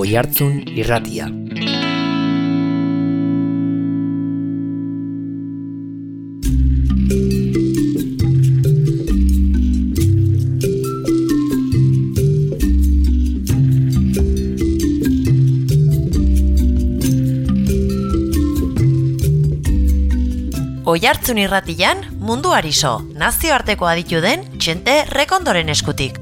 Oihartzun Irratia. Oihartzun Irratian munduari so, nazioarteko aditu den Txente Rekondoren eskutik.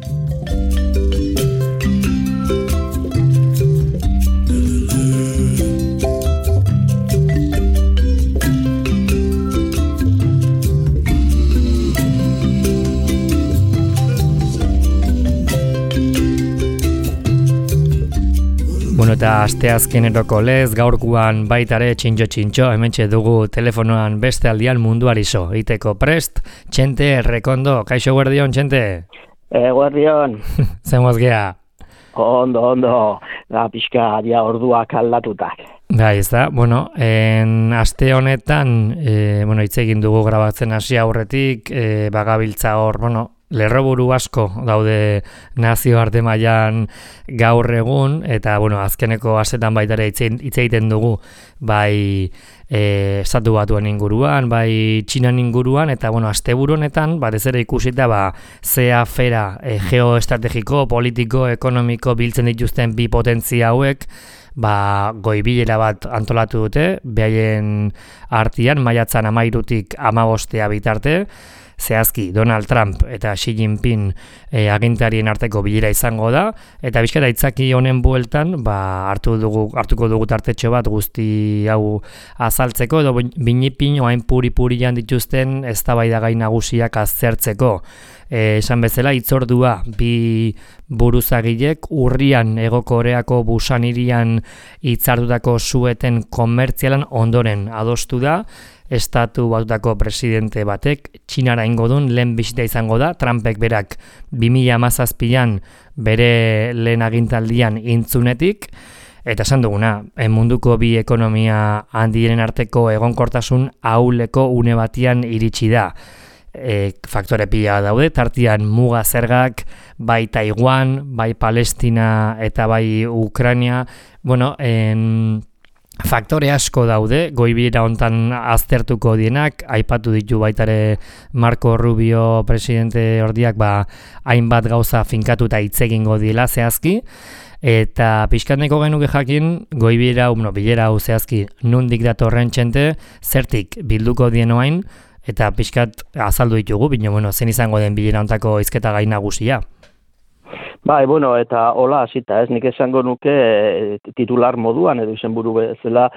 Bueno, eta asteazkeneroko lez, gaurkoan baitare txintxo, hementxe dugu telefonoan beste aldian munduari so. Iteko prest, Txente Rekondo, kaixo guardion, Txente? Guardion. Zemoz gea? Ondo, da pixka dia orduak aldatutak. Ez da, bueno, aste honetan, hitz egin dugu grabatzen hasi aurretik, bagabiltza hor, lerroburu asko daude nazioarte mailan gaur egun, eta azkeneko astetan baitare hitz egiten dugu bai Estatu Batuen inguruan, bai Txinan inguruan, eta asteburu honetan batez ere ikusita ze afera geoestrategiko, politiko, ekonomiko biltzen dituzten bi potentzia hauek, goi-bilera bat antolatu dute, behaien artean maiatzan 13-tik 15 bitarte. Zehazki, Donald Trump eta Xi Jinping agintarien arteko bilera izango da, eta bizkara itzaki honen bueltan hartuko dugu tartetxo bat guzti hau azaltzeko, edo binipin oain puri-purian dituzten eztabaidagai nagusiak aztertzeko. Esan bezala, hitzordua bi buruzagilek urrian Hego Koreako Busan hirian hitzartutako sueten komertzialan ondoren adostu da. Estatu Batutako presidente batek Txinara ingo duen lehen bisita izango da, Trumpek berak 2017an bere lehen agintaldian intzunetik, eta esan duguna, munduko bi ekonomia handienen arteko egonkortasun ahuleko une batian iritsi da. Faktore pila daude, tartian muga zergak, bai Taiwan, bai Palestina eta bai Ukraina, faktore asko daude, goibira hontan aztertuko dienak, aipatu ditu baitare Marco Rubio presidente ordiak hainbat gauza finkatuta hitz egingo diela zehazki, eta pixkatneko genuke jakin, goibira, bilera hau zehazki, nundik datorren Txente, zertik bilduko dien oain, eta pixkat azaldu ditugu, zen izango den bilera hontako hizketa gai nagusia. Eta hola hasita, nik esango nuke titular moduan edo izenburu bezala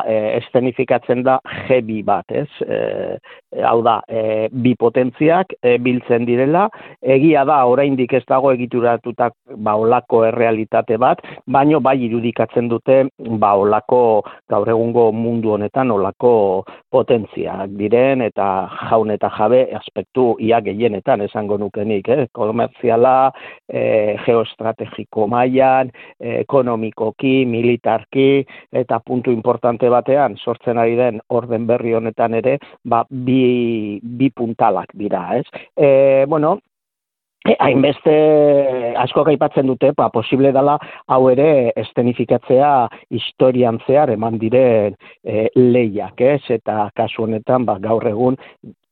eszenifikatzen da G2 bat, hau da, bi potentziak biltzen direla, egia da oraindik ez dago egituratutak olako errealitate bat, baino bai irudikatzen dute olako gaur egungo mundu honetan olako potentziak diren eta jaun eta jabe aspektu ia gehienetan esango nukenik, komertziala, geoestrategiko mailan, ekonomikoki, militarki, eta puntu importante batean sortzen ari den orden berri honetan ere, bi puntalak dira, hainbeste asko aipatzen dute, posible dela hau ere eszenifikatzea historian zehar eman diren lehiak, eta kasu honetan gaur egun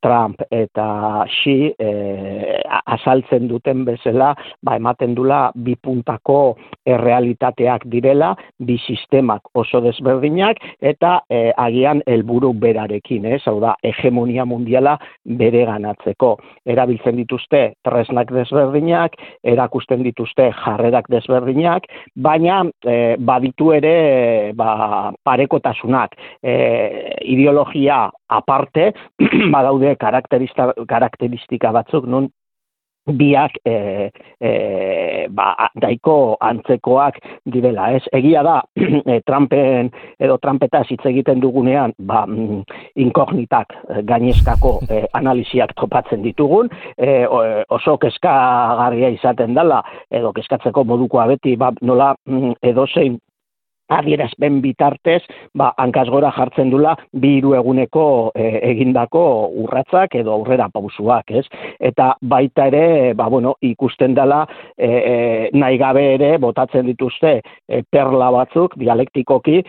Trump eta Xi azaltzen duten bezala, ematen dula bi puntako errealitateak direla, bi sistemak oso desberdinak, eta agian helburu berarekin, hau da, hegemonia mundiala bereganatzeko. Erabiltzen dituzte tresnak desberdinak, erakusten dituzte jarrerak desberdinak, baina baditu ere parekotasunak, ideologia aparte, badaude karakteristika batzuk nun biak daiko antzekoak direla. Egia da, Trumpetaz hitz egiten dugunean, inkognitak gainezkako analisiak topatzen ditugun, oso kezkagarria izaten dela, edo kezkatzeko modukoa beti, nola edozein adierazpen bitartez, hankaz gora jartzen dula 2-3 eguneko egindako urratzak edo aurrera pausuak, ez? Eta baita ere, ikusten dela nahi gabe ere botatzen dituzte perla batzuk dialektikoki,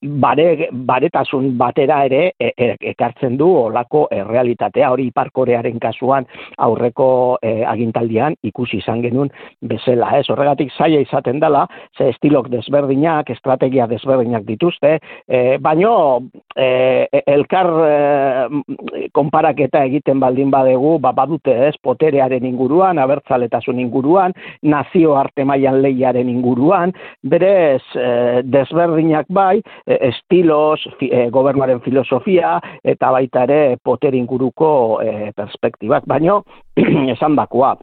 baretasun batera ere ekartzen du olako errealitatea, hori Ipar Korearen kasuan aurreko agintaldian ikusi izan genuen bezala, ez? Horregatik zaila izaten dela, ze estilok desberdinak, estrategia desberdinak dituzte, baino elkar konparaketa egiten baldin badegu, badute ez, poterearen inguruan, abertzaletasun inguruan, nazioarte mailan lehiaren inguruan, berez desberdinak bai, estilos, gobernuaren filosofia, eta baita ere potere inguruko perspektibak, baino esan dakoa.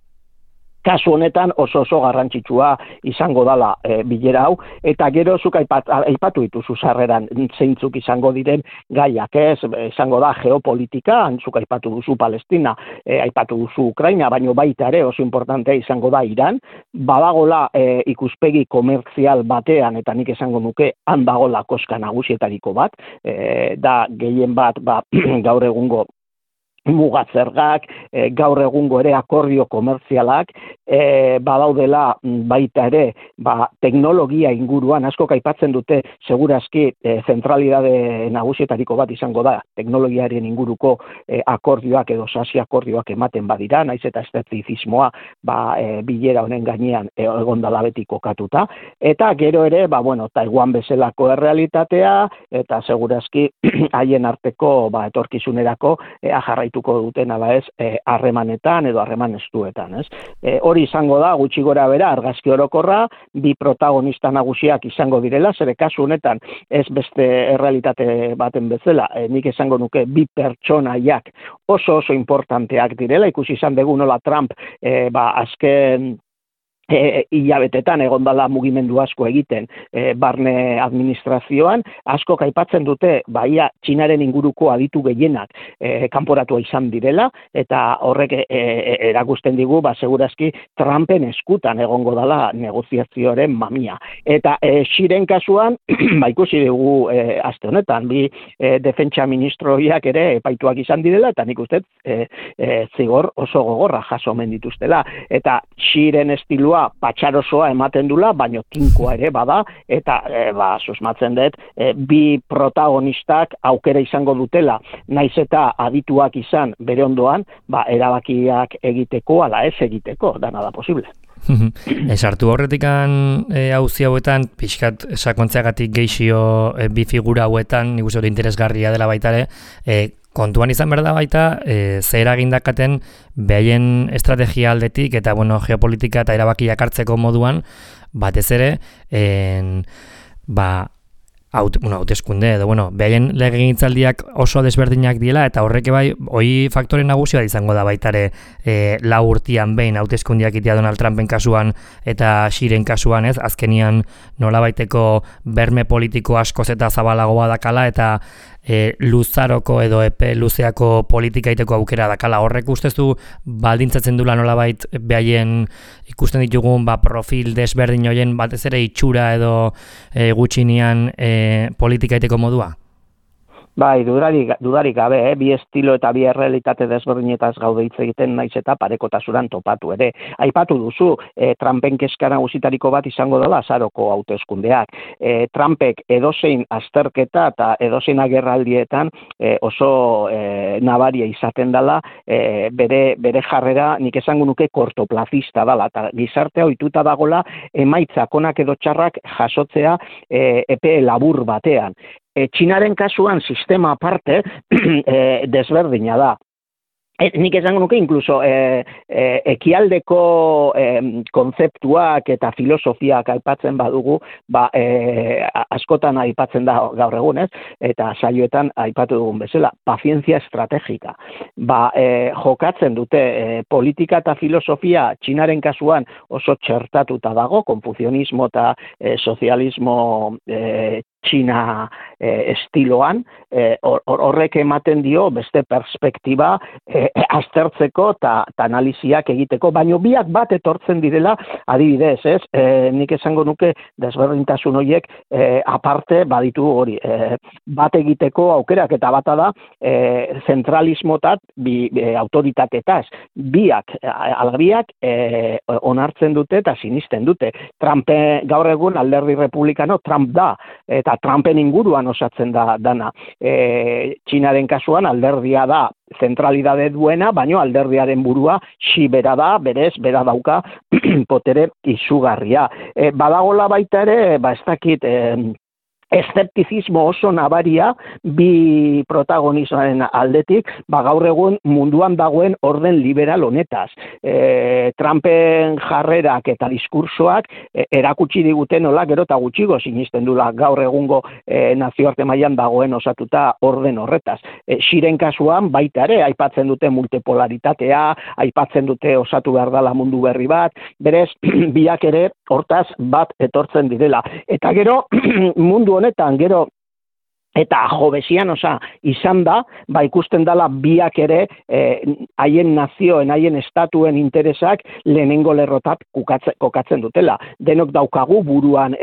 Kasu honetan oso garrantzitsua izango dala bilera hau, eta gero zuk aipatu dituzu sarreran zeintzuk izango diren gaiak, ez? Izango da geopolitika, zuk aipatu duzu Palestina, aipatu duzu Ukraina, baino baita ere oso importantea izango da Iran, badagola ikuspegi komertzial batean, eta nik esango nuke han dagola koska nagusietariko bat, da gehien bat gaur egungo mugatzergak, gaur egungo ere akordio komertzialak, badaudela baita ere, teknologia inguruan, askok aipatzen dute, segurazki zentralidade nagusietariko bat izango da, teknologiaren inguruko akordioak edo sasi akordioak ematen badira, naiz eta eszeptizismoa bilera honen gainean egondala beti kokatuta, eta gero ere, Taiwan bezalako errealitatea, eta segurazki haien arteko etorkizunerako jarraituko duten ala ez harremanetan edo harreman estuetan, ez? Hori izango da gutxi gora bera argazki orokorra, bi protagonista nagusiak izango direla, zere kasu honetan ez beste errealitate baten bezala, nik esango nuke bi pertsonaiak oso importanteak direla, ikusi izan dugu nola Trump azken hilabetetan egon dela mugimendu asko egiten barne administrazioan, asko aipatzen dute ia Txinaren inguruko aditu gehienak kanporatua izan direla, eta horrek erakusten digu, segurazki Trumpen eskutan egongo dela negoziazioaren mamia. Eta Xiren kasuan, ikusi dugu aste honetan, bi defentsa ministroiak ere epaituak izan direla, eta nik uste zigor oso gogorra jaso omen dituztela. Eta Xiren estilua patxarosoa ematen dula, baino tinkoa ere bada, eta susmatzen dut, bi protagonistak aukera izango dutela, naiz eta adituak izan bere ondoan, erabakiak egiteko, ala ez egiteko, dana da posible. Sartu horretikan auzi hauetan, pixkat sakontzeagatik geixio bi figura hauetan, nik uste dut interesgarria dela baitare, kontuan izan behar da baita, zer agindakaten behaien estrategia aldetik eta geopolitika eta erabakiak hartzeko moduan, batez ere, hauteskunde edo, behaien legegintzaldiak oso desberdinak diela, eta horrek bai, hoi faktore nagusia izango da baitare 4 urtean behin hauteskundiak itea Donald Trumpen kasuan eta Xiren kasuan, ez, azkenian nolabaiteko berme politiko askoz eta zabalagoa dakala, eta luzaroko edo epe luzeako politika iteko aukera dakala. Horrek ustezu baldintzatzen dula nolabait behaien ikusten ditugun profil desberdin hoien batez ere itxura edo gutxinean politika iteko modua? Bai, dudarik gabe, bi estilo eta bi errealitate desberdinetaz gaude hitz egiten naiz eta parekotasuran topatu ere. Aipatu duzu, Trumpen kezka nagusitariko bat izango dela azaroko hauteskundeak. Trumpek edozein azterketa eta edozein agerraldietan oso nabaria izaten dela, bere jarrera nik esango nuke kortoplazista dela, eta gizartea ohituta dagola emaitzak onak edo txarrak jasotzea epe labur batean. Txinaren kasuan sistema aparte desberdina da. Nik esango nuke, inkluso ekialdeko kontzeptuak eta filosofiak aipatzen badugu, askotan aipatzen da gaur egun, ez? Eta saioetan aipatu dugun bezala, pazientzia estrategika. Jokatzen dute politika eta filosofia Txinaren kasuan oso txertatuta dago, konfuzionismo eta sozialismo Txina estiloan, horrek ematen dio beste perspektiba aztertzeko eta analiziak egiteko, baino biak bat etortzen direla, adibidez, ez? Nik esango nuke desberdintasun horiek aparte baditu hori, bat egiteko aukerak eta bata da zentralismotat autoritatetaz, biak, alabiak onartzen dute eta sinisten dute. Trump gaur egun alderdi republikano Trump da, eta Trumpen inguruan osatzen da dana. Txinaren kasuan alderdia da zentralidade duena, baino alderdiaren burua Xi bera da, berez, bera dauka potere izugarria. Badagola baita ere, ez dakit, eszeptizismo oso nabaria bi protagonismoaren aldetik, gaur egun munduan dagoen orden liberal honetaz. Trumpen jarrerak eta diskursoak erakutsi diguten nola gero eta gutxigo sinisten dula gaur egungo nazioarte mailan dagoen osatuta orden horretaz. Xiren kasuan baita ere aipatzen dute multipolaritatea, aipatzen dute osatu behar dela mundu berri bat, berez biak ere hortaz bat etortzen direla. Eta gero mundu honetan gero eta jobesian izan da, ikusten dela biak ere haien nazioen, haien estatuen interesak lehenengo lerrotat kokatzen dutela. Denok daukagu buruan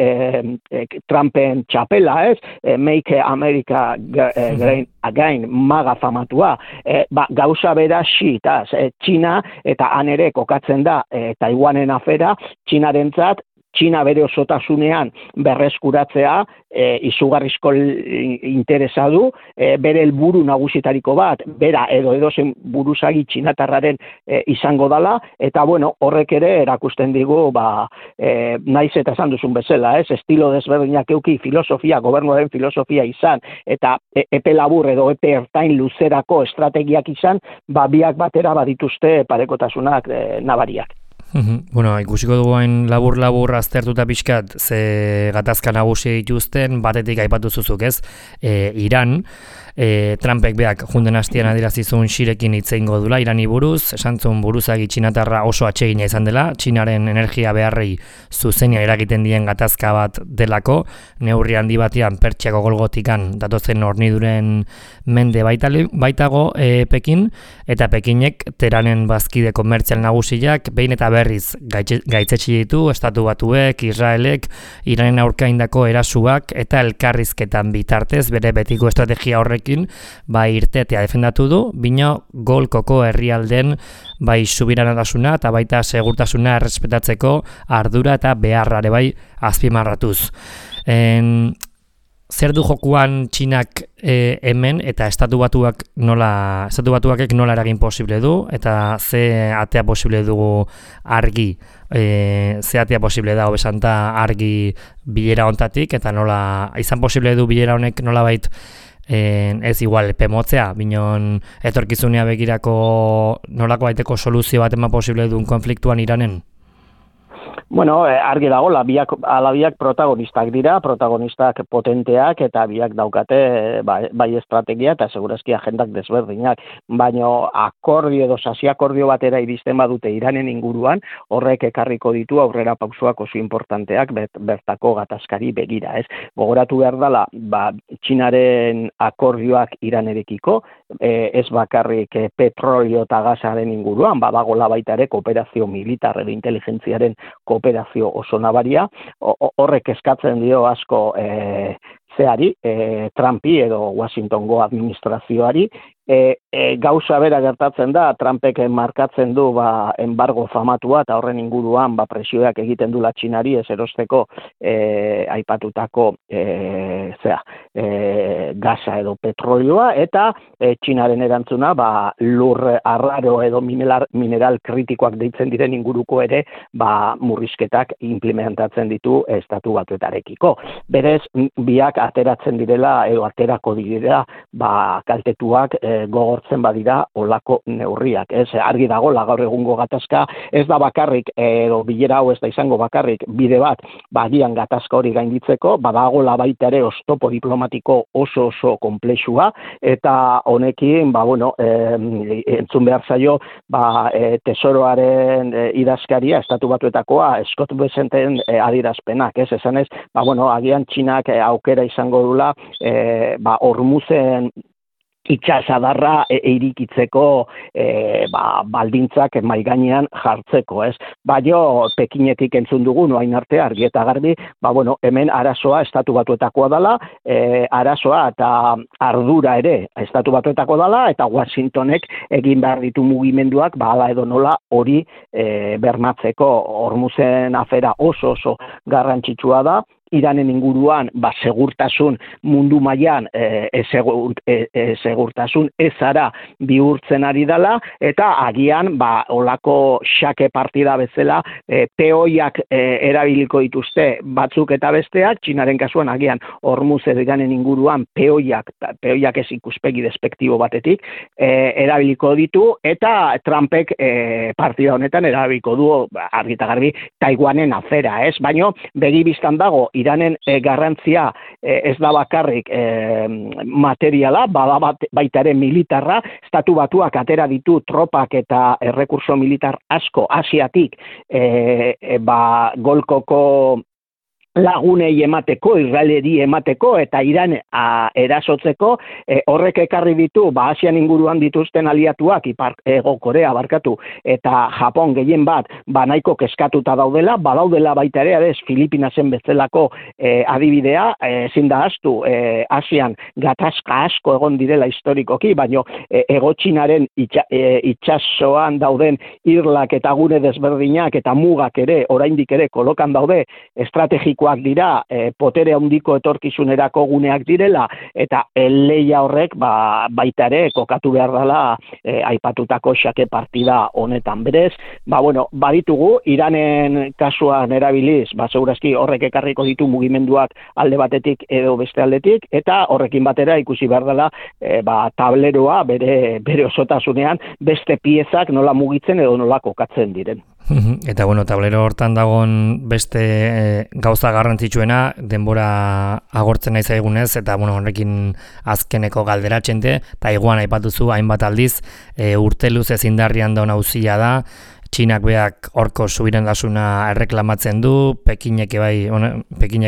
Trumpen txapela, ez? Make America Great Again, maga famatua. Gauza bera Xitaz, Txina eta han ere kokatzen da Taiwanen afera, Txinarentzat, Txina bere osotasunean berreskuratzea izugarrizko interesa du, bere helburu nagusitariko bat, bera edozen buruzagi txinatarraren izango dala, eta horrek ere erakusten digu, naiz eta esan duzun bezala, estilo desberdinak euki filosofia, gobernuaren filosofia izan, eta epe labur edo epe ertain luzerako estrategiak izan, biak batera badituzte parekotasunak nabariak. Ikusiko duguain labur-labur aztertuta pixkat ze gatazka nagusi dituzten, batetik aipatu zuzuk, ez? Iran, Trumpek beak junden hastian adierazizun Xirekin hitz egingo dula, Irani buruz, esantzun buruzagi txinatarra oso atsegina izan dela, Txinaren energia beharrei zuzenean eragiten dien gatazka bat delako, neurri handi batean Pertsiako golgotikan datozen horniduren mende baitago Pekin, eta Pekinek Teranen bazkide komertzial nagusiak behin eta berriz gaitzetsi ditu Estatu Batuek, Israelek, Iranen aurka indako erasuak eta elkarrizketan bitartez bere betiko estrategia horrekin irtetea defendatu du, bino golkoko herrialden subiranotasuna eta baita segurtasuna errespetatzeko ardura eta beharrare azpimarratuz. Zer du jokuan Txinak hemen eta Estatu Batuakek nola eragin posible du eta ze atea posible dugu argi, ze atea posible da hobesanta argi bilera hontatik eta nola izan posible du bilera honek nolabait ez igual pemotzea, binon etorkizunea begirako nolako baiteko soluzio bat eman posible duen konfliktuan Iranen? Argi dago, alabiak protagonistak dira, protagonistak potenteak eta biak daukate bai estrategia eta segurazki agendak desberdinak, baina akordio edo sasi-akordio batera iristen badute Iranen inguruan, horrek ekarriko ditu aurrera pausoak oso importanteak bertako gatazkari begira, ez? Gogoratu behar dela, Txinaren akordioak Iranerekiko, ez bakarrik petrolio eta gasaren inguruan, badagola baita ere kooperazio militar edo inteligentziaren kooperazio oso nabaria, horrek eskatzen dio asko Trumpi edo Washingtongo administrazioari, gauza bera gertatzen da, Trumpek markatzen du embargo famatua eta horren inguruan presioak egiten dula Txinari ez erosteko aipatutako gasa edo petrolioa eta Txinaren erantzuna lur arraro edo mineral kritikoak deitzen diren inguruko ere murrizketak implementatzen ditu Estatu Batuetarekiko. Berez, biak ateratzen direla edo aterako direla kaltetuak gogortzen badira olako neurriak, ez? Argi dago gaur egungo gatazka ez da bakarrik edo bilera hau ez da izango bakarrik bide bat, bagian gatazka hori gainditzeko, badagola baita ere oztopo diplomatiko oso konplexua eta honekin entzun behar zaio tesoroaren idazkaria Estatu Batuetakoa Scott Bessenten adierazpenak, ez? Esanez, agian Txinak aukera izango dula Hormuzen itxasadarra irikitzeko baldintzak mahai gainean jartzeko, ez? Jo Pekinetik entzun dugu orain arte argi eta garbi, hemen arazoa Estatu Batuetakoa dela, arazoa eta ardura ere Estatu Batuetako dela eta Washingtonek egin behar ditu mugimenduak hala edo nola hori bermatzeko. Hormuzen afera oso garrantzitsua da. Iranen inguruan segurtasun mundu mailan segurtasun ezara bihurtzen ari dela eta agian olako xake partida bezala peoiak erabiliko dituzte batzuk eta besteak, Txinaren kasuan agian Hormuz Iranen inguruan peoiak ez ikuspegi despektibo batetik erabiliko ditu eta Trumpek partida honetan erabiliko du argi eta garbi Taiwanen afera, ez? Baina begi bistan dago Iranen garrantzia ez da bakarrik materiala, baita ere militarra, Estatu Batuak atera ditu tropak eta errekurso militar asko Asiatik Golkoko lagunei emateko, Israeleri emateko eta Iran erasotzeko, horrek ekarri ditu, Asian inguruan dituzten aliatuak, Hego Korea eta Japon gehien bat, nahiko keskatuta daudela, badaudela baita ere, Filipinasen bezalako adibidea, ezin da ahaztu, Asian gatazka asko egon direla historikoki, baina Hego Txinaren itsasoan dauden irlak eta gune desberdinak eta mugak ere, oraindik ere kolokan daude, estrategiko dira, potere handiko etorkizunerako guneak direla, eta leia horrek baita ere kokatu behar dela aipatutako xake partida honetan. Berez, baditugu, Iranen kasuan erabiliz, segurazki horrek ekarriko ditu mugimenduak alde batetik edo beste aldetik, eta horrekin batera ikusi behar dela tableroa bere osotasunean beste piezak nola mugitzen edo nola kokatzen diren. Eta tablero hortan dagoen beste gauza garrantzitsuena denbora agortzen nahi zaigunez eta horrekin azkeneko galdera txente, Taiwan aipatuzu hainbat aldiz, urte luzez indarrian daun auzia da, Txinak beak horko subirandasuna erreklamatzen du, Pekinek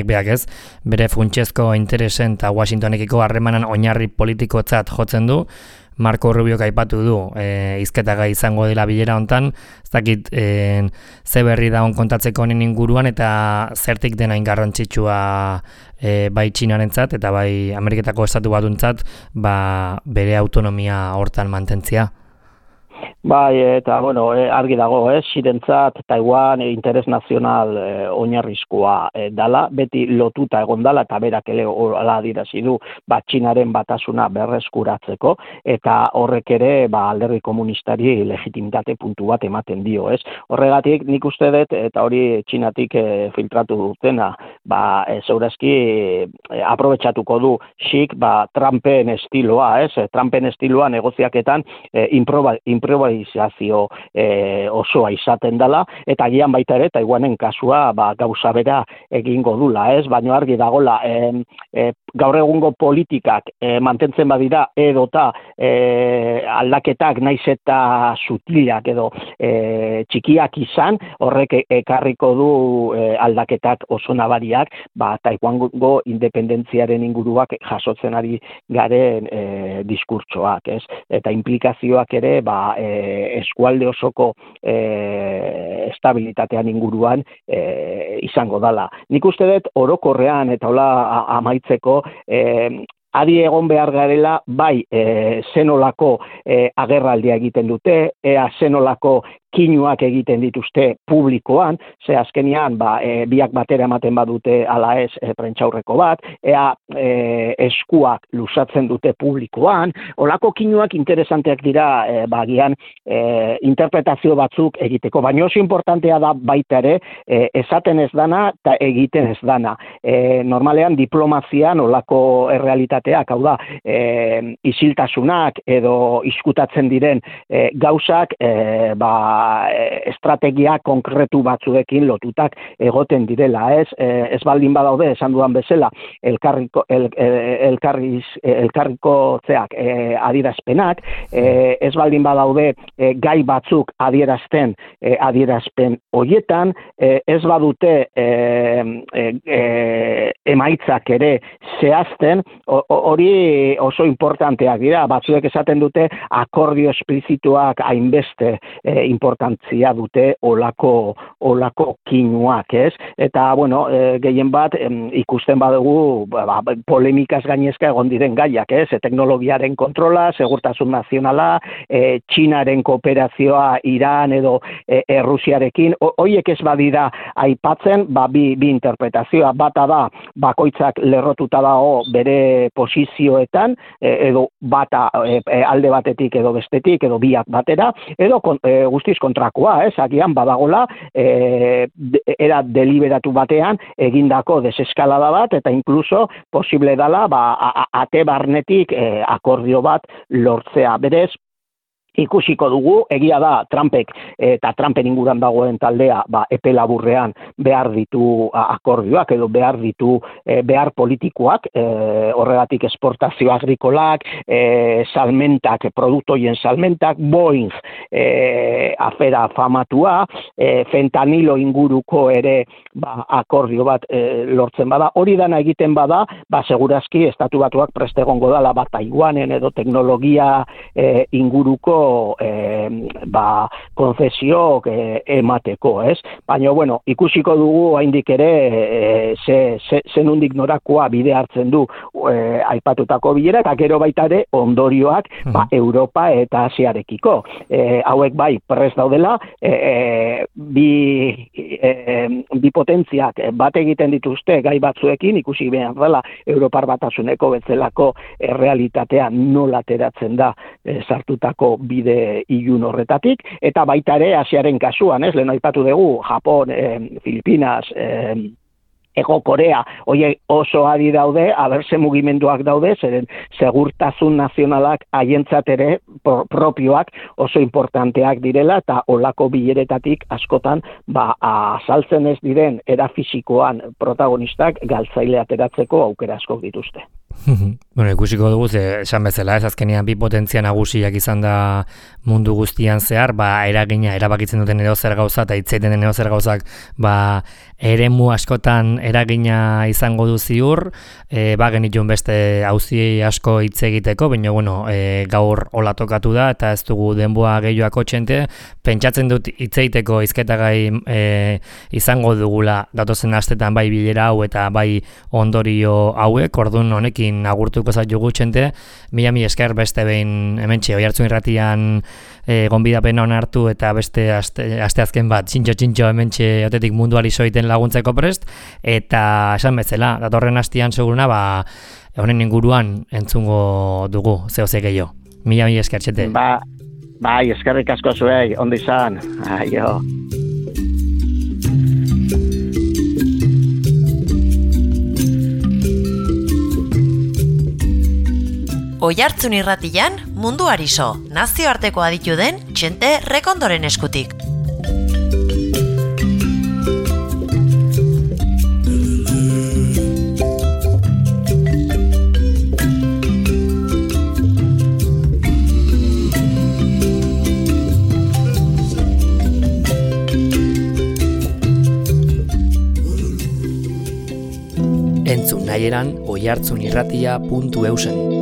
beak ez, bere funtsezko interesen eta Washingtonekiko harremanan oinarri politikotzat jotzen du. Marco Rubiok aipatu du, hizketagai izango dela bilera hontan, ez dakit ze berri da kontatzeko honen inguruan eta zertik dena garrantzitsua bai Txinarentzat eta bai Ameriketako Estatu Batuntzat bere autonomia hortan mantentzia. Eta argi dago, Xirentzat Taiwan interes nazional oinarrizkoa dala, beti lotuta egon dala eta berak ere hala adierazi du Txinaren batasuna berreskuratzeko eta horrek ere alderdi komunistari legitimitate puntu bat ematen dio, ez? Horregatik nik uste dut eta hori Txinatik filtratu dutena, segurazki aprobetxatuko du Xik Trumpen estiloa, ez? Trumpen estiloa negoziaketan improvisazio osoa izaten dela, eta agian baita ere Taiwanen kasua gauza bera egingo dula, ez? Baina argi dagola gaur egungo politikak mantentzen badira edota aldaketak naiz eta sutilak edo txikiak izan, horrek ekarriko du aldaketak oso nabariak Taiwango independentziaren inguruak jasotzen ari garen diskurtsoak, ez? Eta implikazioak ere eskualde osoko estabilitatean inguruan izango dala. Nik uste dut orokorrean eta hola amaitzeko adi egon behar garela, zenolako agerraldia egiten dute, zenolako kinuak egiten dituzte publikoan, ze azkenean biak batera ematen badute ala ez prentsaurreko bat, ea eskuak luzatzen dute publikoan, olako kinuak interesanteak dira bagian interpretazio batzuk egiteko, baina oso importantea da baita ere esaten ez dana eta egiten ez dana. Normalean diplomazian olako errealitateak, hau da, isiltasunak edo izkutatzen diren gauzak estrategia konkretu batzuekin lotutak egoten direla, ez baldin badaude, esan dudan bezala, elkarrikotzeak adierazpenak, ez baldin badaude gai batzuk adierazpen horietan, ez badute emaitzak ere zehazten, hori oso importanteak dira, batzuek esaten dute akordio esplizituak hainbeste importantzia dute olako kinuak, ez? Eta, bueno, gehien bat ikusten badugu polemikaz gainezka egon diren gaiak, ez? Teknologiaren kontrola, segurtasun nazionala, Txinaren kooperazioa Iran edo Errusiarekin, horiek ez badira aipatzen, bi interpretazioa, bata da bakoitzak lerrotuta dago bere posizioetan, edo bata alde batetik edo bestetik, edo biak batera, edo guztiz kontrakoa, agian badagola era deliberatu batean egindako deseskalada bat, eta inkluso posible dela ate barnetik akordio bat lortzea. Berez, ikusiko dugu, egia da Trumpek eta Trumpen inguran dagoen taldea epe laburrean behar ditu akordioak edo behar ditu behar politikoak, horregatik esportazio agrikolak, salmentak, produktoien salmentak, Boeing afera famatua, fentanilo inguruko ere akordio bat lortzen bada, hori dana egiten bada, segurazki Estatu Batuak preste egongo dala Taiwanen edo teknologia inguruko konzesioak emateko, ez? Baina, bueno, ikusiko dugu haindik ere zenundik norakoa bide hartzen du aipatutako bilera, eta gero baita ere ondorioak Europa eta Asiarekiko. Hauek bai prest daudela, bi potentziak bat egiten dituzte gai batzuekin, ikusi behar dela Europar Batasuneko bezalako realitatea nola ateratzen da sartutako bide ilun horretatik, eta baita ere Asiaren kasuan, lehen aipatu dugu, Japon, Filipinas, Ego Korea, horiek oso adi daude, aberse mugimenduak daude, zeren segurtasun nazionalak haientzat ere propioak oso importanteak direla, eta olako bileretatik askotan azaltzen ez diren era fisikoan protagonistak galtzaile ateratzeko aukera askok dituzte. Bueno, ikusiko dugu, esan bezala, azkenean bi potentzia nagusiak izan da mundu guztian zehar, eragina, erabakitzen duten edo zer gauza, eta hitzeiten den edo zer gauzak, eremu askotan eragina izango du ziur, genitun beste auzi asko hitz egiteko, baina, bueno, gaur hola tokatu da, eta ez dugu denboa gehioako txente, pentsatzen dut hitz egiteko hizketagai izango dugula datozen astetan bai bilera hau eta bai ondorio hauek, ordun honekin agurtuko zaitugu txente, mila esker beste behin hementxe Oihartzun Irratian gonbidapen onartu eta beste asteazken bat txintxo hementxe otetik munduari soiten laguntzeko prest, eta esan bezala, datorren astean seguruna honen inguruan entzungo dugu zehose gehiago. Mila esker txente. Bai, eskerrik asko zuei, ondo izan. Aio. Oihartzun Irratian munduari so, nazioarteko aditu den Txente Rekondoren eskutik. Entzun nahieran oihartzunirratia.eusen.